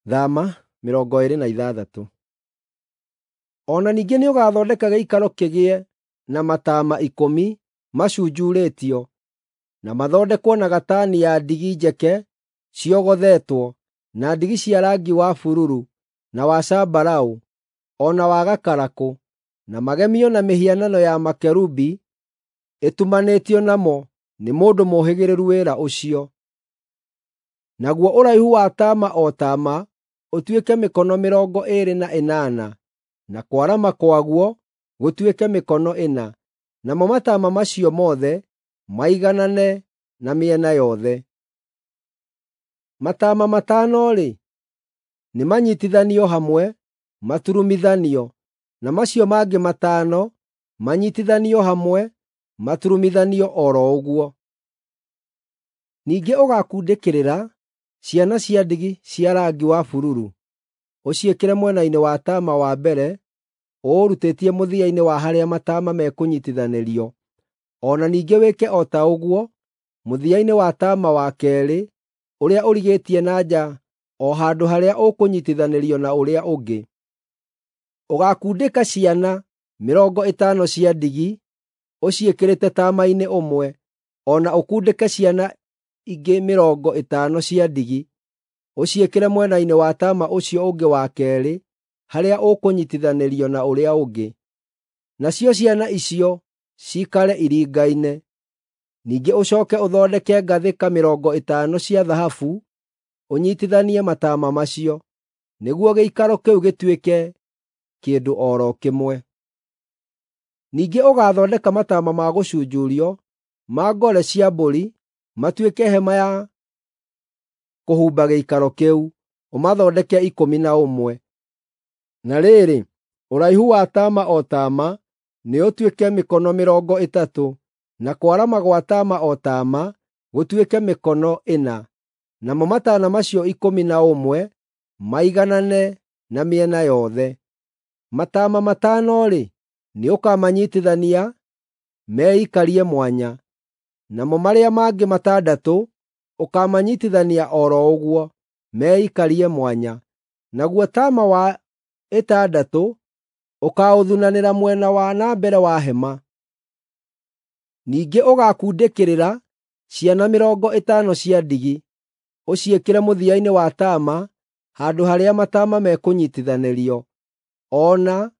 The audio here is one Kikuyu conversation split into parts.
Thama 26. O na ningĩ nĩũgathondeka gĩikaro kĩgĩe na mataama 10 macunjurĩtio, na mathondekwo na gatani ya ndigi njeke ciogothetwo, na ndigi cia rangi wa bururu, na wa zambarau, o na wa gakarakũ, na magemio na mĩhianano ya makerubi ĩtumanĩtio namo nĩ mũndũ mũũhĩgĩrĩru wĩra ũcio. Naguo ũraihu wa taama o taama ũtuĩke mĩkono 28, na kwarama kwaguo gũtuĩke mĩkono 4, namo mataama macio mothe maiganane na mĩena yothe. Mataama 5-rĩ, nĩmanyiitithanio hamwe maturumithanio, na macio mangĩ 5 manyiitithanio hamwe maturumithanio o ro ũguo. Ningĩ ũgaakundĩkĩrĩra ciana cia ndigi cia rangi wa bururu, ũciĩkĩre mwena-inĩ wa taama wa mbere ũũrutĩtie mũthia-inĩ wa harĩa mataama mekũnyiitithanĩrio, o na ningĩ wĩke o ta ũguo mũthia-inĩ wa taama wa keerĩ ũrĩa ũrigĩtie na nja o handũ harĩa ũkũnyiitithanĩrio na ũrĩa ũngĩ. Ũgaakundĩka ciana 50 cia ndigi ũciĩkĩrĩte taama-inĩ ũmwe, o na ũkundĩke ciana ingĩ 50 cia ndigi ũciĩkĩre mwena-inĩ wa taama ũcio ũngĩ wa keerĩ harĩa ũkũnyiitithanĩrio na ũrĩa ũngĩ. Nacio ciana icio ciikare iringaine. Ningĩ ũcooke ũthondeke ngathĩka 50 cia thahabu ũnyiitithanie mataama macio, nĩguo gĩikaro kĩu gĩtuĩke kĩndũ o ro kĩmwe. Ningĩ ũgaathondeka mataama ma gũcunjurio ma ngore cia mbũri matuĩke hema ya kũhumba gĩikaro kĩu, ũmathondeke 11. Na rĩrĩ, ũraihu wa taama o taama nĩũtuĩke mĩkono 30, na kwarama gwa taama o taama gũtuĩke mĩkono 4, namo mataama macio 11 maiganane na mĩena yothe. Mataama 5-rĩ, nĩũkamanyiitithania meikarie mwanya, namo marĩa mangĩ 6 ũkaamanyiitithania o ro ũguo, meikarie mwanya. Naguo taama wa ĩtandatũ ũkaaũthunanĩra mwena wa na mbere wa hema. Ningĩ ũgaakundĩkĩrĩra ciana 50 cia ndigi, ũciĩkĩre mũthia-inĩ wa taama handũ harĩa mataama mekũnyiitithanĩrio, o na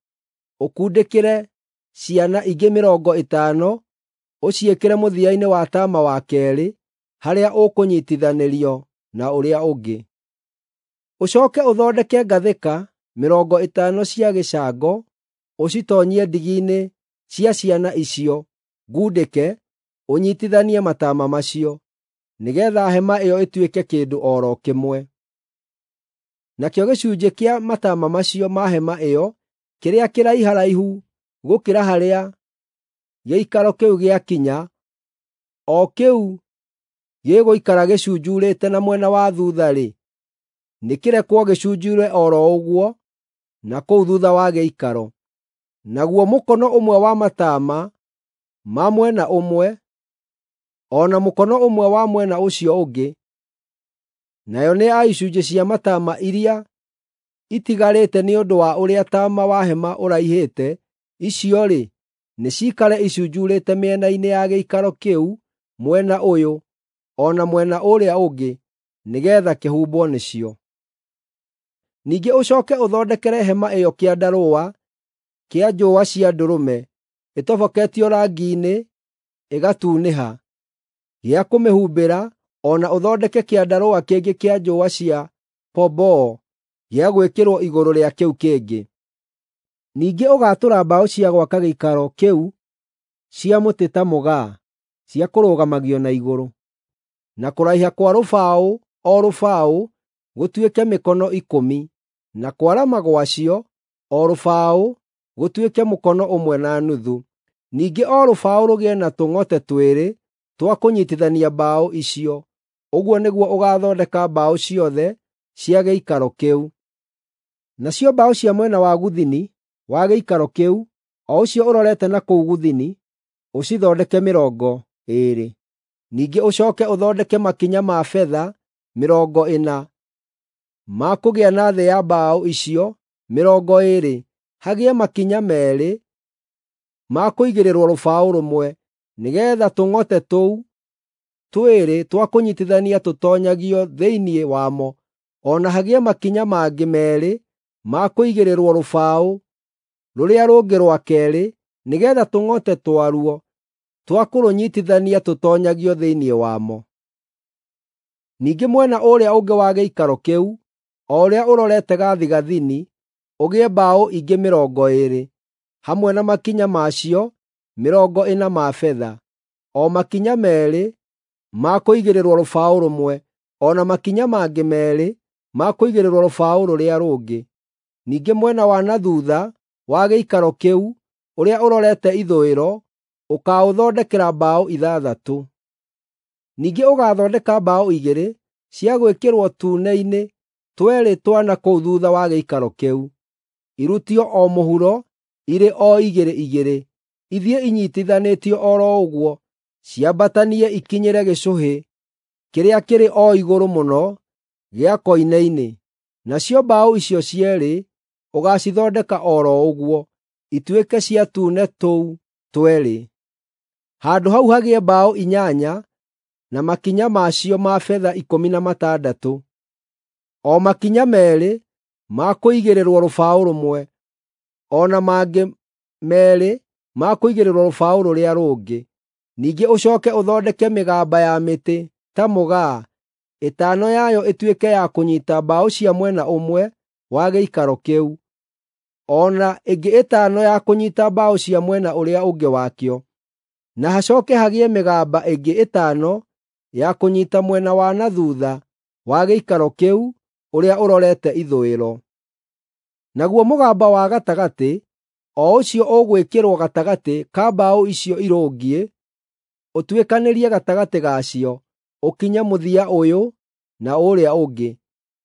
ũkundĩkĩre ciana ingĩ 50 ũciĩkĩre mũthia-inĩ wa taama wa keerĩ harĩa ũkũnyiitithanĩrio na ũrĩa ũngĩ. Ũcooke ũthondeke ngathĩka 50 cia gĩcango ũcitoonyie ndigi-inĩ cia ciana icio ngundĩke ũnyiitithanie mataama macio, nĩgeetha hema ĩyo ĩtuĩke kĩndũ o ro kĩmwe. Nakĩo gĩcunjĩ kĩa mataama macio ma hema ĩyo kĩrĩa kĩraiharaihu gũkĩra harĩa gĩikaro kĩu gĩakinya, o kĩu gĩgũikara gĩcunjuurĩte na mwena wa thuutha-rĩ, nĩkĩrekwo gĩcunjuure o ro ũguo na kũu thuutha wa gĩikaro. Naguo mũkono ũmwe wa mataama ma mwena ũmwe, o na mũkono ũmwe wa mwena ũcio ũngĩ, nayo nĩ ya icunjĩ cia mataama iria itigarĩte nĩ ũndũ wa ũrĩa taama wa hema ũraihĩte, icio-rĩ, nĩciikare icunjuurĩte mĩena-inĩ ya gĩikaro kĩu mwena ũyũ o na mwena ũrĩa ũngĩ, nĩgeetha kĩhumbwo nĩcio. Ningĩ ũcooke ũthondekere hema ĩyo kĩandarũa kĩa njũũa cia ndũrũme ĩtoboketio rangi-inĩ ĩgatunĩha, gĩa kũmĩhumbĩra, o na ũthondeke kĩandarũa kĩngĩ kĩa njũũa cia pomboo gĩa gwĩkĩrwo igũrũ rĩa kĩu kĩngĩ. Ningĩ ũgaatũra mbaũ cia gwaka gĩikaro kĩu cia mũtĩ ta mũgaa cia kũrũgamagio na igũrũ. Na kũraiha kwa rũbaũ o rũbaũ gũtuĩke mĩkono 10, na kwarama gwacio o rũbaũ gũtuĩke mũkono 1.5. Ningĩ o rũbaũ rũgĩe na tũng'ote twĩrĩ twa kũnyiitithania mbaũ icio. Ũguo nĩguo ũgaathondeka mbaũ ciothe cia gĩikaro kĩu. Nacio mbaũ cia mwena wa gũthini wa gĩikaro kĩu, o ũcio ũrorete na kũu gũthini, ũcithondeke 20. Ningĩ ũcooke ũthondeke makinya ma betha 40. ma kũgĩa na thĩ ya mbaũ icio 20, hagĩe makinya 2 ma kũigĩrĩrwo rũbaũ rũmwe, nĩgeetha tũng'ote tũu 2 twa kũnyiitithania tũtoonyagio thĩinĩ wamo, o na hagĩe makinya mangĩ 2 ma kũigĩrĩrwo rũbaũ rũrĩa rũngĩ rwa keerĩ, nĩgeetha tũng'ote twaruo twa kũrũnyiitithania tũtoonyagio thĩinĩ wamo. Ningĩ mwena ũrĩa ũngĩ wa gĩikaro kĩu, o ũrĩa ũrorete gathigathini, ũgĩe mbaũ ingĩ 20, hamwe na makinya macio 40 ma betha, o makinya 2 ma kũigĩrĩrwo rũbaũ rũmwe, o na makinya mangĩ 2 ma kũigĩrĩrwo rũbaũ rũrĩa rũngĩ. Ningĩ mwena wa na thuutha wa gĩikaro kĩu, ũrĩa ũrorete ithũĩro, ũkaaũthondekera mbaũ 6. Ningĩ ũgaathondeka mbaũ 2 cia gwĩkĩrwo tuune-inĩ tweerĩ twa na kũu thuutha wa gĩikaro kĩu, irutio o mũhuro irĩ o igĩrĩ igĩrĩ, ithiĩ inyiitithanĩtio o ro ũguo, ciambatanie ikinyĩre gĩcũhĩ kĩrĩa kĩrĩ o igũrũ mũno gĩa koine-inĩ. Nacio mbaũ icio cierĩ ũgaacithondeka o ro ũguo, ituĩke cia tuune tũu tweerĩ. Handũ hau hagĩe mbaũ 8 na makinya macio ma betha 16, o makinya 2 ma kũigĩrĩrwo rũbaũ rũmwe, o na mangĩ 2 ma kũigĩrĩrwo rũbaũ rũrĩa rũngĩ. Ningĩ ũcooke ũthondeke mĩgamba ya mĩtĩ ta mũgaa, 5 yayo ĩtuĩke ya kũnyiita mbaũ cia mwena ũmwe wa gĩikaro kĩu, o na ĩngĩ 5 ya kũnyiita mbaũ cia mwena ũrĩa ũngĩ wakĩo. Na hacooke hagĩe mĩgamba ĩngĩ 5 ya kũnyiita mwena wa na thuutha wa gĩikaro kĩu ũrĩa ũrorete ithũĩro. Naguo mũgamba wa gatagatĩ, o ũcio ũgwĩkĩrwo gatagatĩ ka mbaũ icio irũngiĩ, ũtuĩkanĩrie gatagatĩ gacio, ũkinye mũthia ũyũ na ũrĩa ũngĩ.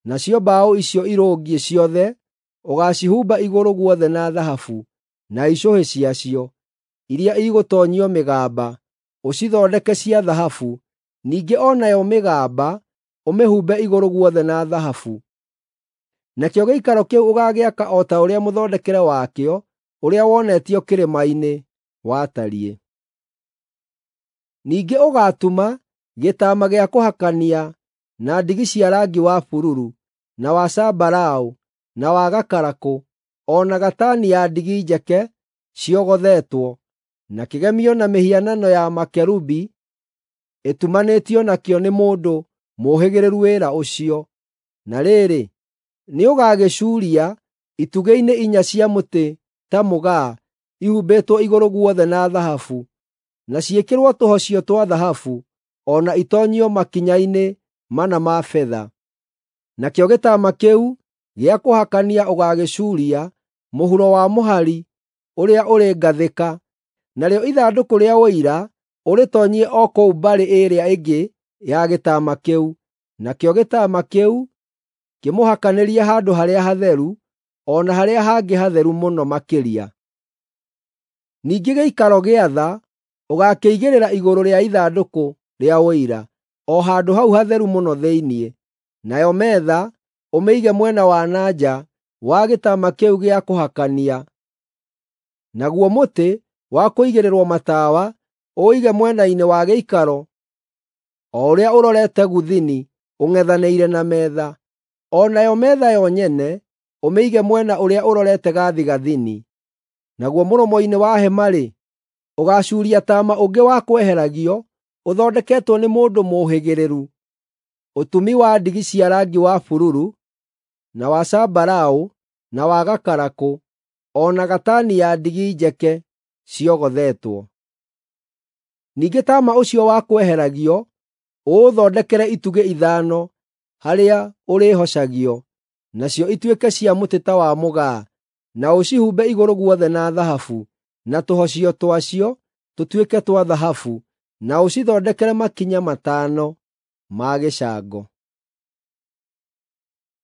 Nacio mbaũ icio irũngiĩ ciothe ũgaacihumba igũrũ guothe na thahabu, na icũhĩ ciacio, iria igũtoonyio mĩgamba, ũcithondeke cia thahabu. Ningĩ o nayo mĩgamba ũmĩhumbe igũrũ guothe na thahabu. Nakĩo gĩikaro kĩu ũgaagĩaka o ta ũrĩa mũthondekere wakĩo ũrĩa wonetio kĩrĩma-inĩ watariĩ. Ningĩ ũgaatuma gĩtaama gĩa kũhakania na ndigi cia rangi wa bururu, na wa zambarau, na wa gakarakũ, o na gatani ya ndigi njeke ciogothetwo, na kĩgemio na mĩhianano ya makerubi ĩtumanĩtio nakĩo nĩ mũndũ mũũhĩgĩrĩru wĩra ũcio. Na rĩrĩ, nĩũgagĩcuuria itugĩ-inĩ 4 cia mũtĩ ta mũgaa ihumbĩtwo igũrũ guothe na thahabu, na ciĩkĩrwo tũhocio twa thahabu, o na itoonyio makinya-inĩ 4 ma betha. Nakĩo gĩtaama kĩu gĩa kũhakania ũgaagĩcuuria mũhuro wa mũhari ũrĩa ũrĩ ngathĩka, narĩo ithandũkũ rĩa Ũira ũrĩtoonyie o kũu mbarĩ ĩrĩa ĩngĩ ya gĩtaama kĩu. Nakĩo gĩtaama kĩu kĩmũhakanĩrie Handũ-harĩa-Hatheru o na harĩa hangĩ hatheru mũno makĩria. Ningĩ gĩikaro gĩa tha ũgaakĩigĩrĩra igũrũ rĩa ithandũkũ rĩa Ũira, o handũ hau hatheru mũno thĩinĩ. Nayo metha ũmĩige mwena wa na nja wa gĩtaama kĩu gĩa kũhakania. Naguo mũtĩ wa kũigĩrĩrwo matawa ũũige mwena-inĩ wa gĩikaro o ũrĩa ũrorete gũthini ũng'ethanĩire na metha. O nayo metha yo nyene ũmĩige mwena ũrĩa ũrorete gathigathini. Naguo mũromo-inĩ wa hema-rĩ, ũgaacuuria taama ũngĩ wa kweheragio ũthondeketwo nĩ mũndũ mũũhĩgĩrĩru, ũtumi wa ndigi cia rangi wa bururu, na wa zambarau, na wa gakarakũ, o na gatani ya ndigi njeke ciogothetwo. Ningĩ taama ũcio wa kweheragio ũũthondekere itugĩ 5 harĩa ũrĩhocagio, nacio ituĩke cia mũtĩ ta wa mũgaa, na ũcihumbe igũrũ guothe na thahabu, na tũhocio twacio tũtuĩke twa thahabu, na ũcithondekere makinya 5 ma gĩcango.